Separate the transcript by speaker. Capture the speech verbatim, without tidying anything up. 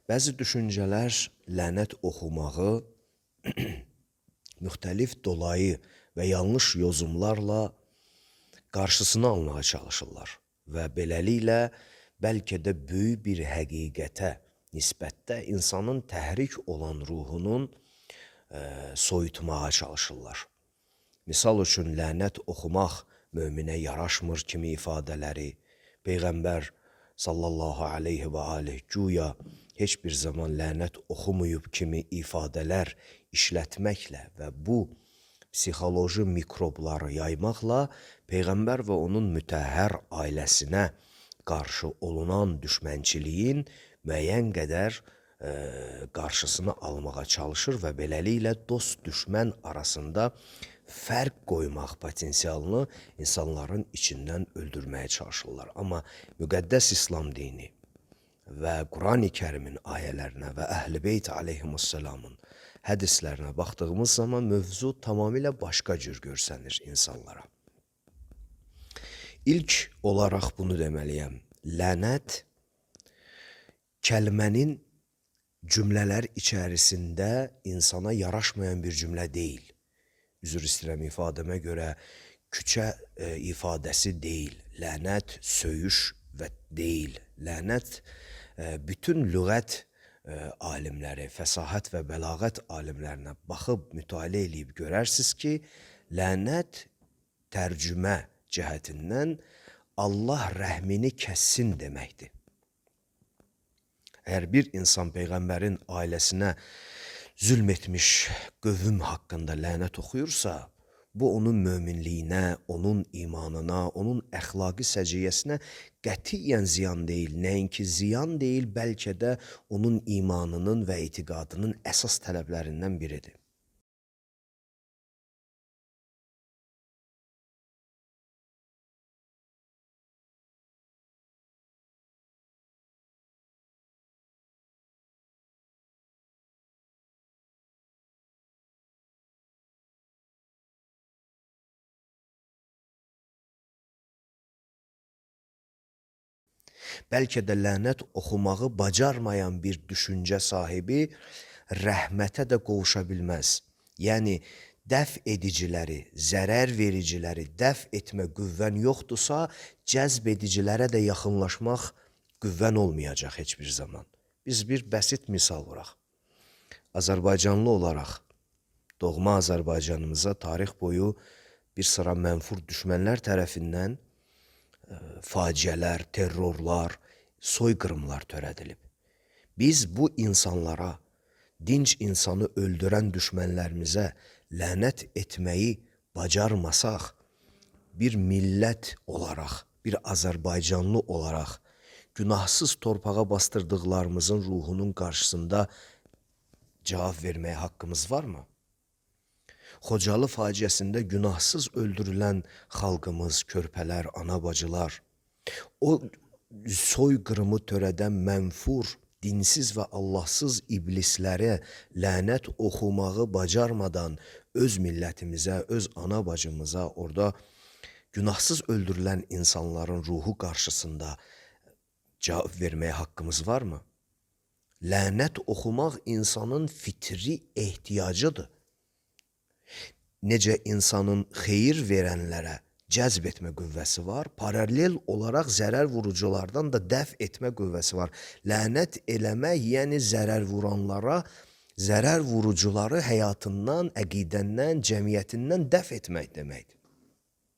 Speaker 1: Bəzi düşüncələr lənət oxumağı müxtəlif dolayı və yanlış yozumlarla qarşısını almağa çalışırlar və beləliklə bəlkə də böyük bir həqiqətə nisbətdə insanın təhrik olan ruhunun e, soyutmağa çalışırlar. Misal üçün, lənət oxumaq möminə yaraşmır kimi ifadələri Peyğəmbər sallallahu aleyhi və aleyh güya heç bir zaman lənət oxumayıb kimi ifadələr işlətməklə və bu psixoloji mikrobları yaymaqla Peyğəmbər və onun mütəhhər ailəsinə qarşı olunan düşmənçiliyin müəyyən qədər e, qarşısını almağa çalışır və beləliklə dost-düşmən arasında fərq qoymaq potensialını insanların içindən öldürməyə çalışırlar. Amma müqəddəs İslam dini və Quran-ı Kərimin ayələrinə və Əhl-i Beyt aleyhimussalamın hədislərinə baxdığımız zaman mövzu tamamilə başqa cür görsənir insanlara. İlk olaraq bunu deməliyəm. Lənət kəlmənin cümlələr içərisində insana yaraşmayan bir cümlə deyil. Üzr istəyirəm ifadəmə görə küçə e, ifadəsi deyil. Lənət söyüş və deyil. Lənət e, bütün lüğət e, alimləri, fəsahət və bəlağət alimlərinə baxıb mütaliə edib görərsiniz ki, lənət tərcümə cəhətindən Allah rəhmini kəssin deməkdir. Əgər bir insan Peyğəmbərin ailəsinə zülm etmiş qövüm haqqında lənət oxuyursa, bu onun möminliyinə, onun imanına, onun əxlaqi səciyyəsinə qətiyyən ziyan deyil. Nəinki ziyan deyil, bəlkə də onun imanının və etiqadının əsas tələblərindən biridir. Bəlkə də lənət oxumağı bacarmayan bir düşüncə sahibi rəhmətə də qovuşa bilməz. Yəni, dəf ediciləri, zərər vericiləri dəf etmə qüvvən yoxdursa, cəzb edicilərə də yaxınlaşmaq qüvvən olmayacaq heç bir zaman. Biz bir bəsit misal vuraq. Azərbaycanlı olaraq doğma Azərbaycanımıza tarix boyu bir sıra mənfur düşmənlər tərəfindən faciələr, terrorlar, soyqırımlar törədilib. Biz bu insanlara, dinc insanı öldürən düşmənlərimizə lənət etməyi bacarmasaq, bir millət olaraq, bir Azərbaycanlı olaraq, günahsız torpağa bastırdıqlarımızın ruhunun qarşısında cavab verməyə haqqımız varmı? Xocalı faciəsində günahsız öldürülən xalqımız, körpələr, ana-bacılar, o soyqırımı törədən mənfur, dinsiz və Allahsız iblislərə lənət oxumağı bacarmadan öz millətimizə, öz ana-bacımıza, orada günahsız öldürülən insanların ruhu qarşısında cavab verməyə haqqımız varmı? Lənət oxumaq insanın fitri ehtiyacıdır. Necə insanın xeyir verənlərə cəzb etmə qüvvəsi var, paralel olaraq zərər vuruculardan da dəf etmə qüvvəsi var. Lənət eləmək, yəni zərər vuranlara, zərər vurucuları həyatından, əqidəndən, cəmiyyətindən dəf etmək deməkdir.